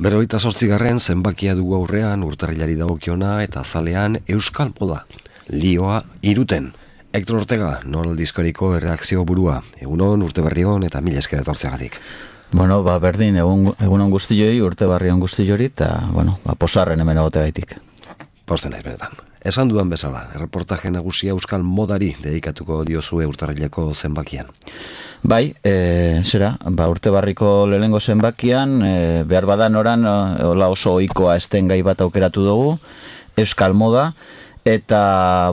48. zenbakia dugu aurrean urtarrilari dagokiona eta azalean Euskal Moda. Lioa iruten. Hector Ortega, Nor aldizkariko erreakzio burua. Egunon, urte berrion eta mila esker etortzeagatik. Bueno, berdin, egunon guztioi, urte berrion guztioi, eta, posarren hemen egote gaitik. Posten nahi benetan. Esan dudan bezala, erreportaje nagusia Euskal Modari dedikatuko diozue urtarrileko zenbakian. Bai, urte barriko lehenengo zenbakian, behar badan oran, oso ohikoa esten gai bat aukeratu dugu, Euskal Moda, eta,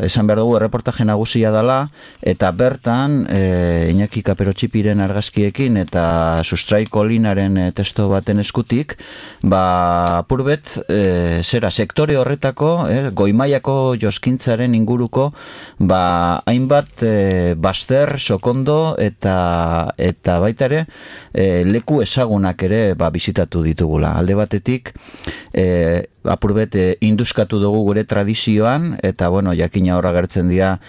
esan behar dugu erreportaje nagusia dela, eta bertan, Iñaki Kaperotxipiren argazkiekin eta Sustraiko Linaren testo baten eskutik, apurbet, sektore horretako, goimaiako joskintzaren inguruko, hainbat baster, sokondo, eta baita ere, leku ezagunak ere bisitatu ditugula. Alde batetik, apurbet induskatu dugu gure tradizioan, eta jakina horra gertzen dira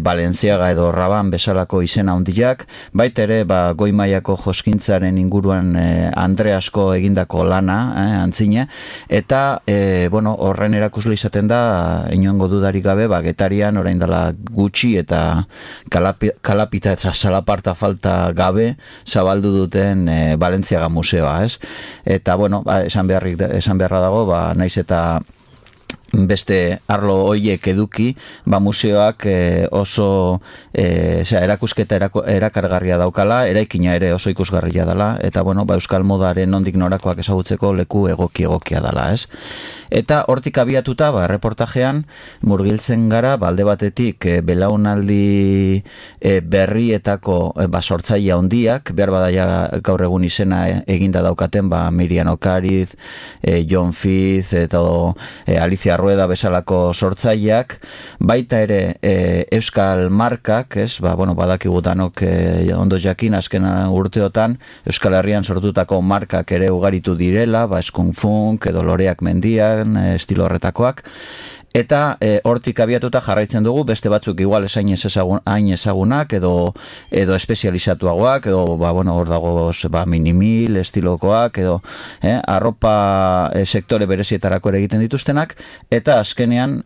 Balenciaga edo Raban bezalako izena handiak, baita ere goimaiako joskintzaren inguruan Andreasko egindako lana, antzine, eta horren erakusle izaten da, inongo dudarik gabe, Getarian orain dela gutxi eta kalapita eta salaparta falta gabe zabaldu duten Balenciaga museoa, ez? Eta, esan beharra dago, naiz eta beste arlo hoiek eduki, museoak oso erakusketa erakargarria daukala, eraikina ere oso ikusgarria dela, eta Euskal Modaren nondik norakoak ezagutzeko leku egokia dela, ez? Eta hortik abiatuta, reportajean murgiltzen gara, alde batetik belaunaldi berrietako sortzaile handiak, behar badaia gaur egun izena eginda daukaten, Miriam Okariz, Jon Fiz, eta Alicia Rueda bezalako sortzaileak, baita ere Euskal markak, badakigu danok ondo jakin azken urteotan Euskal Herrian sortutako markak ere ugaritu direla, Skunk Funk edo Loreak mendian, estilo horretakoak, eta hortik abiatuta jarraitzen dugu, beste batzuk igual hain ezagunak edo espezializatuagoak, edo hor dago minimil estilokoak, edo arropa sektore berezietarako ere egiten dituztenak, eta azkenean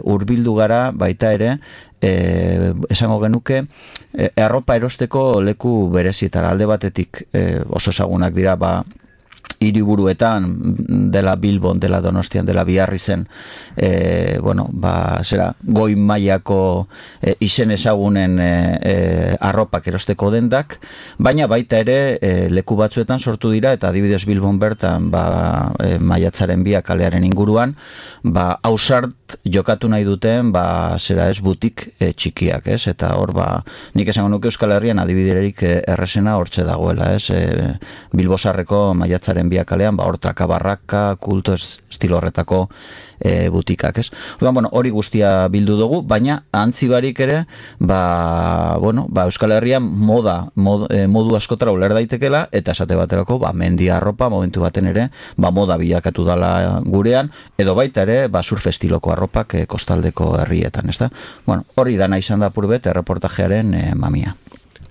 hurbildu gara baita ere, esango genuke, arropa erosteko leku berezietara. Alde batetik oso ezagunak dira, hiriburuetan, dela Bilbon, dela Donostian, dela Biarrizen, goi mailako izen ezagunen arropak erosteko dendak, baina baita ere leku batzuetan sortu dira, eta adibidez Bilbon bertan maiatzaren 2 kalearen inguruan, ausart jokatu nahi duten, butik txikiak, ez? Eta hor, nik esango nuke Euskal Herrian adibiderik errezena hortxe dagoela, ez? Bilbosarreko maiatzaren 2 kalean, hor Trakabarraka, kulto estilo horretako butikak, ez? Hori guztia bildu dugu, baina antzibarik ere, Euskal Herrian modu askotara uler daitekela, eta esate baterako, mendi arropa, momentu baten ere, moda bilakatu dala gurean, edo baita ere, surf estiloko arropak kostaldeko herrietan, ez da? Hori dana izan da purbet, erreportajearen mamia.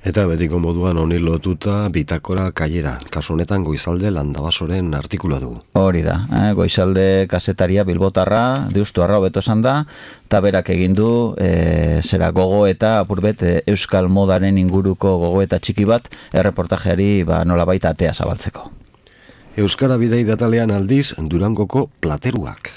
Eta betiko moduan honi lotuta bitakora kailera. Kasu honetan Goizalde Landabasoren artikula dugu. Hori da, Goizalde kazetaria bilbotarra, deustuarra hobeto esan da, eta berak egin du, gogo eta apurbet Euskal Modaren inguruko gogo eta txiki bat, erreportajeari nolabait atea zabaltzeko. Euskara bidei datalean aldiz Durangoko plateruak.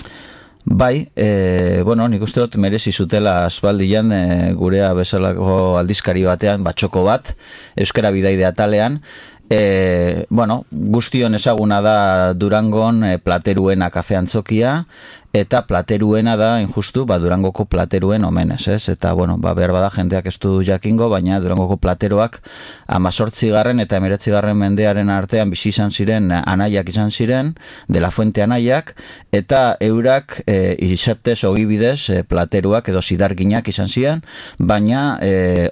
Bai, nik uste dut merezi zutela aspaldian gurea bezalako aldizkari batean, txoko bat, Euskara Bidaide atalean, guztion ezaguna da Durangon plateruena kafe antzokia, eta plateruena da, injustu, Durangoko plateruen omenez, ez? Eta, behar bada jendeak ez du jakingo, baina Durangoko plateroak 18. eta 19. mendearen artean bizi izan ziren, anaiak izan ziren, de la Fuente anaiak, eta eurak izatez ogibidez plateruak edo zidarginak izan ziren, baina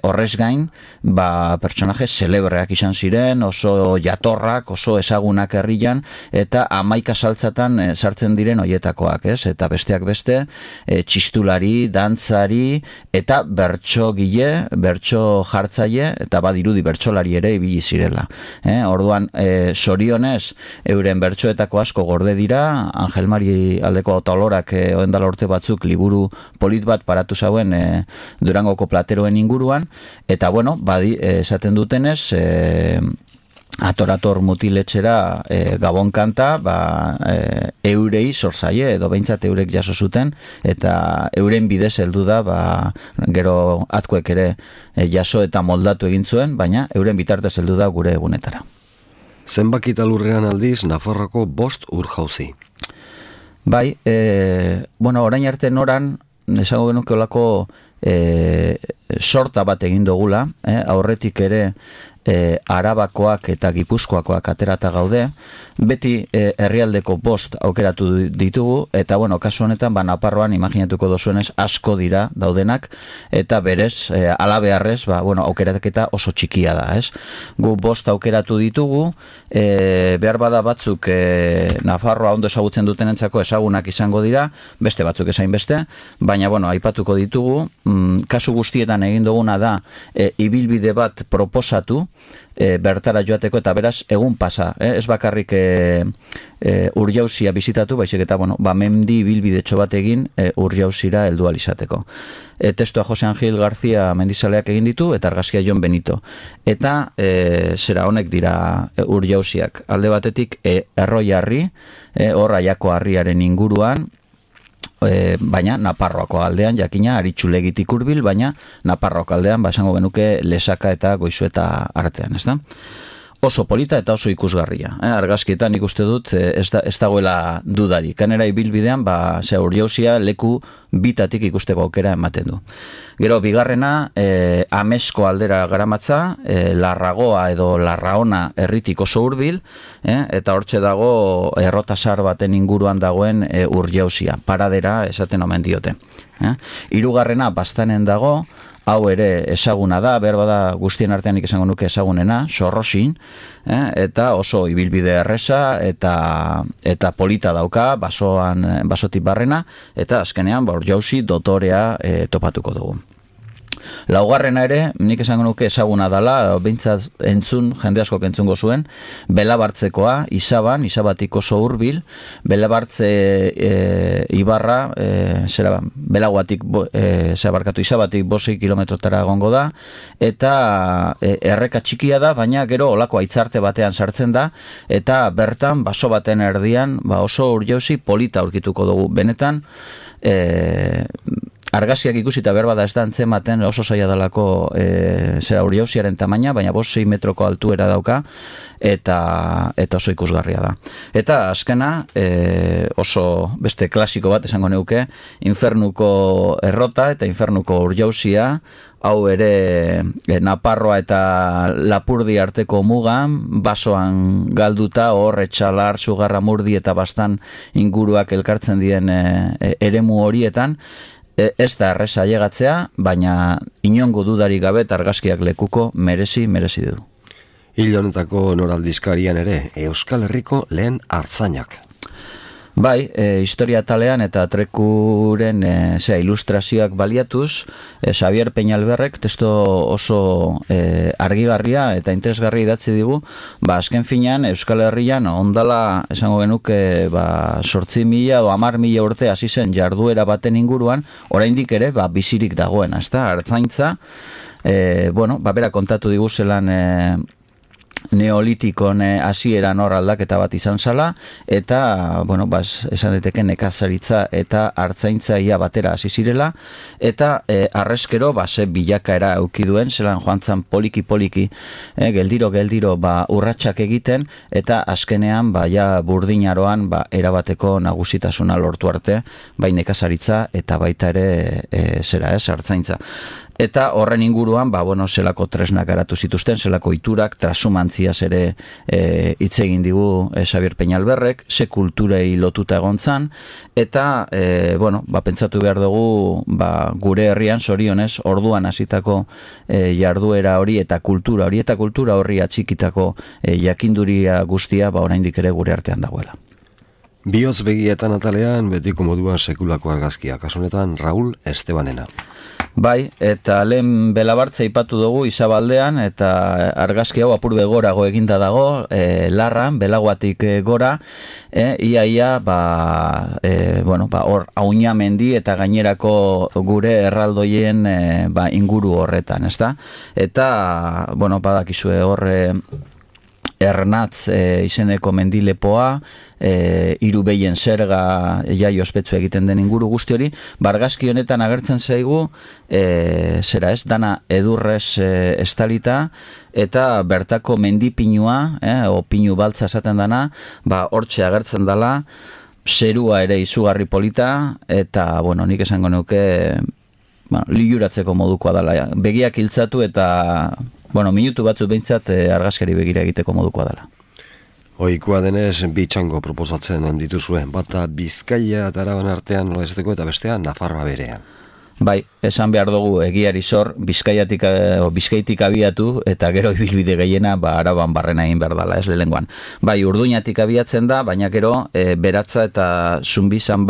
horrez gain, pertsonaje celebreak izan ziren, oso jatorrak, oso ezagunak herrian, eta 11 saltzatan sartzen diren hoietakoak, ez? eta besteak beste, txistulari, dantzari, eta bertsogile, bertso jartzaile, eta badirudi bertsolari ere ibili zirela. Orduan, sorionez, euren bertsoetako asko gorde dira, Angel Mari aldeko Otolorak oendala urte batzuk liburu polit bat paratu zauen Durangoko plateroen inguruan, eta bueno, esaten dutenez, Ator mutiletxera Gabon kanta, eurei zorzaie, edo behintzat eurek jaso zuten, eta euren bidez heldu da, gero azkuek ere jaso eta moldatu egin zuen, baina euren bitartez heldu da gure egunetara. Zenbakita lurrean aldiz, Nafarroko 5 ur-jauzi. Bai, orain arte noran, esango genuke olako sorta bat egin dugula, aurretik ere Arabakoak eta Gipuzkoakoak aterata gaude, beti herrialdeko 5 aukeratu ditugu, eta kasu honetan, Naparroan imaginatuko dozuenez asko dira daudenak, eta berez, alabearrez, aukerataketa oso txikia da, ez? Gu 5 aukeratu ditugu, behar bada batzuk Nafarroa ondo ezagutzen dutenentzako ezagunak izango dira, beste batzuk esain beste, baina, aipatuko ditugu, kasu guztietan egin duguna da, ibilbide bat proposatu, bertara joateko, eta beraz egun pasa, ez bakarrik Urjauzia bizitatu, baizik eta mendi ibilbidetxo bat egin Urjauzira heldu ahal izateko. Testua Jose Angel García Mendizaleak egin ditu, eta argazkia Jon Benito. Eta honek dira Urjauziak. Alde batetik Erroiarri, hor Aiako harriaren inguruan, baina Naparroako aldean, jakina, Aritxulegitik hurbil, baina Naparroako aldean, esango genuke Lesaka eta Goizueta artean, ez da? Oso polita eta oso ikusgarria. Argazkietan ikuste dut, ez dagoela dudari. Kanera ibilbidean, Urjauzia leku bitatik ikusteko aukera ematen du. Gero, bigarrena, Amesko aldera garamatza, Larragoa edo Larraona herritik oso hurbil, eta hortxe dago errotasar baten inguruan dagoen Urjauzia. Paradera esaten omen diote. Hirugarrena Baztanen dago, hau ere ezaguna da, behar bada guztien artean esango nuke ezagunena, Sorrosin, eta oso ibilbide erreza eta polita dauka, basotik barrena, eta azkenean Urjauzi dotorea topatuko dugu. Laugarrena ere, nik esango nuke ezaguna dela, behintzat jende askok entzungo zuen, Belabartzekoa, Izabatik oso hurbil, Belabartze ibarra, Izabatik 5 kilometrotara egongo da, eta erreka txikia da, baina gero olako aitzarte batean sartzen da, eta bertan, baso baten erdian, oso Urjauzi polita aurkituko dugu. Benetan, argazkiak ikusita berbada ez da antzematen oso zaila dalako Urjauziaren tamaina, baina 5-6 metroko altuera dauka eta oso ikusgarria da. Eta azkena, oso beste klasiko bat esango neuke, Infernuko errota eta Infernuko Urjauzia, hau ere Naparroa eta Lapurdi arteko mugan, basoan galduta, hor Etxalar, Zugarramurdi eta Baztan inguruak elkartzen dien eremu horietan, ez da erreza llegatzea, baina inongo dudarik gabe argazkiak lekuko merezi du. Hil honetako noraldizkarian ere, Euskal Herriko lehen artzainak. Bai, historia talean eta trekuren ilustrazioak baliatuz, Xavier Peñalberrek testo oso argigarria eta interesgarri idatzi digu, azken finean Euskal Herrian ondala esango genuke 8.000 edo 10.000 urte hasi zen jarduera baten inguruan, oraindik ere bizirik dagoen, ezta? Artzaintza, bera kontatu digu zelan neolitikon hasieran hor aldaketa bat izan zala, eta, esan deteke nekazaritza eta artzaintzaia batera hasi zirela, eta arrezkero, ze bilakaera eukiduen, zelan joan zan poliki, geldiro, urratsak egiten, eta azkenean, burdinaroan, erabateko nagusitasuna lortu arte, bai nekazaritza eta baita ere, artzaintza. Eta horren inguruan, zelako tresnak garatu zituzten, zelako iturak, transumantziaz ere hitz egin digu Xavier Peñalberrek, ze kulturei lotuta egon zan, eta, pentsatu behar dugu, gure herrian, zorionez, orduan hasitako jarduera hori eta kultura horri atxikitako jakinduria guztia, oraindik ere gure artean dagoela. Bihotz begietan atalean betiko moduan sekulako argazkia, kasunetan Raul Estebanena. Bai, eta lehen belabartza ipatu dugu Izabaldean, eta argazki hau apur begorago eginda dago, larran, belaguatik gora, ia, hor Auña mendi eta gainerako gure erraldoien inguru horretan, ezta? Eta, badakizue hor Ernatz izeneko mendilepoa, hiru behien zerga jai ospetsu egiten den inguru guzti hori, argazki honetan agertzen zaigu, dana edurrez estalita, eta bertako mendipinua, o pinu baltza esaten dana, hortxe agertzen dela, zerua ere izugarri polita, eta, nik esango neuke, liuratzeko modukoa dela. Begiak hiltzatu eta, minutu batzuk behintzat argazkari begira egiteko modukoa dela. Ohikoa denez, bi txango proposatzen dituzuen, bata Bizkaia eta Araban artean nola esateko eta bestea Nafarroa berean. Bai, esan behar dugu egiari zor, Bizkaitik abiatu eta gero ibilbide gehiena Araban barrena egin behar dela, ez lehengoan. Bai, Urduñatik abiatzen da, baina gero Beratza eta Zumbizan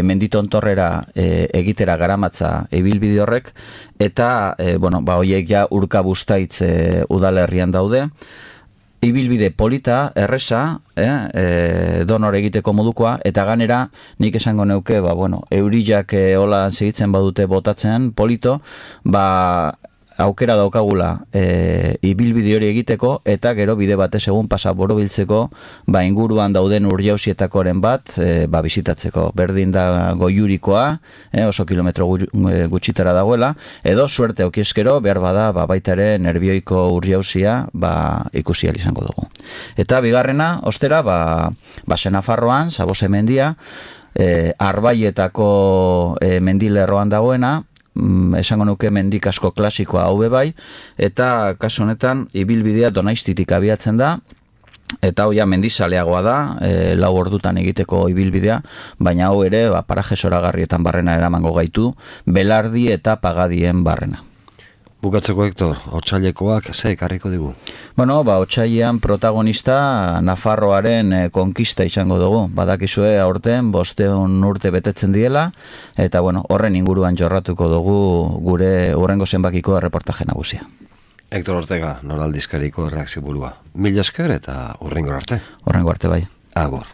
menditontorrera egitera garamatza ibilbide horrek, eta horiek ja Urkabustaitz udalerrian daude. Ibilbide polita, erresa, donor egiteko modukoa, eta ganera nik esango neuke, eurillak hola segitzen badute botatzen polito, aukera daukagula ibilbide hori egiteko, eta gero bide batez egun pasa borobiltzeko, inguruan dauden urjausietakoren bat, bizitatzeko. Berdin da Goiurikoa, oso kilometro gutxitara dagoela, edo suerte aukieskero, behar bada, baita ere nerbioiko urjausia, ikusi ahal izango dugu. Eta bigarrena, ostera, Nafarroan, Sabose mendia, Arbaietako mendilerroan dagoena, esango nuke mendik asko klasikoa hau bai, eta kasu honetan ibilbidea Donaistitik abiatzen da, eta hau ja mendizaleagoa da, 4 ordutan egiteko ibilbidea, baina hau ere paraje zoragarrietan barrena eramango gaitu, Belardi eta Pagadien barrena. Bukatzeko, Hector, otsailekoak ze ekarriko digu? Otsailean protagonista Nafarroaren konkista izango dugu. Badakizue aurten 500 urte betetzen diela, eta horren inguruan jorratuko dugu gure hurrengo zenbakiko erreportaje nagusia. Hector Ortega, Nor Aldizkariko erreakzio burua. Mila esker eta hurrengo arte. Hurrengo arte bai. Agur.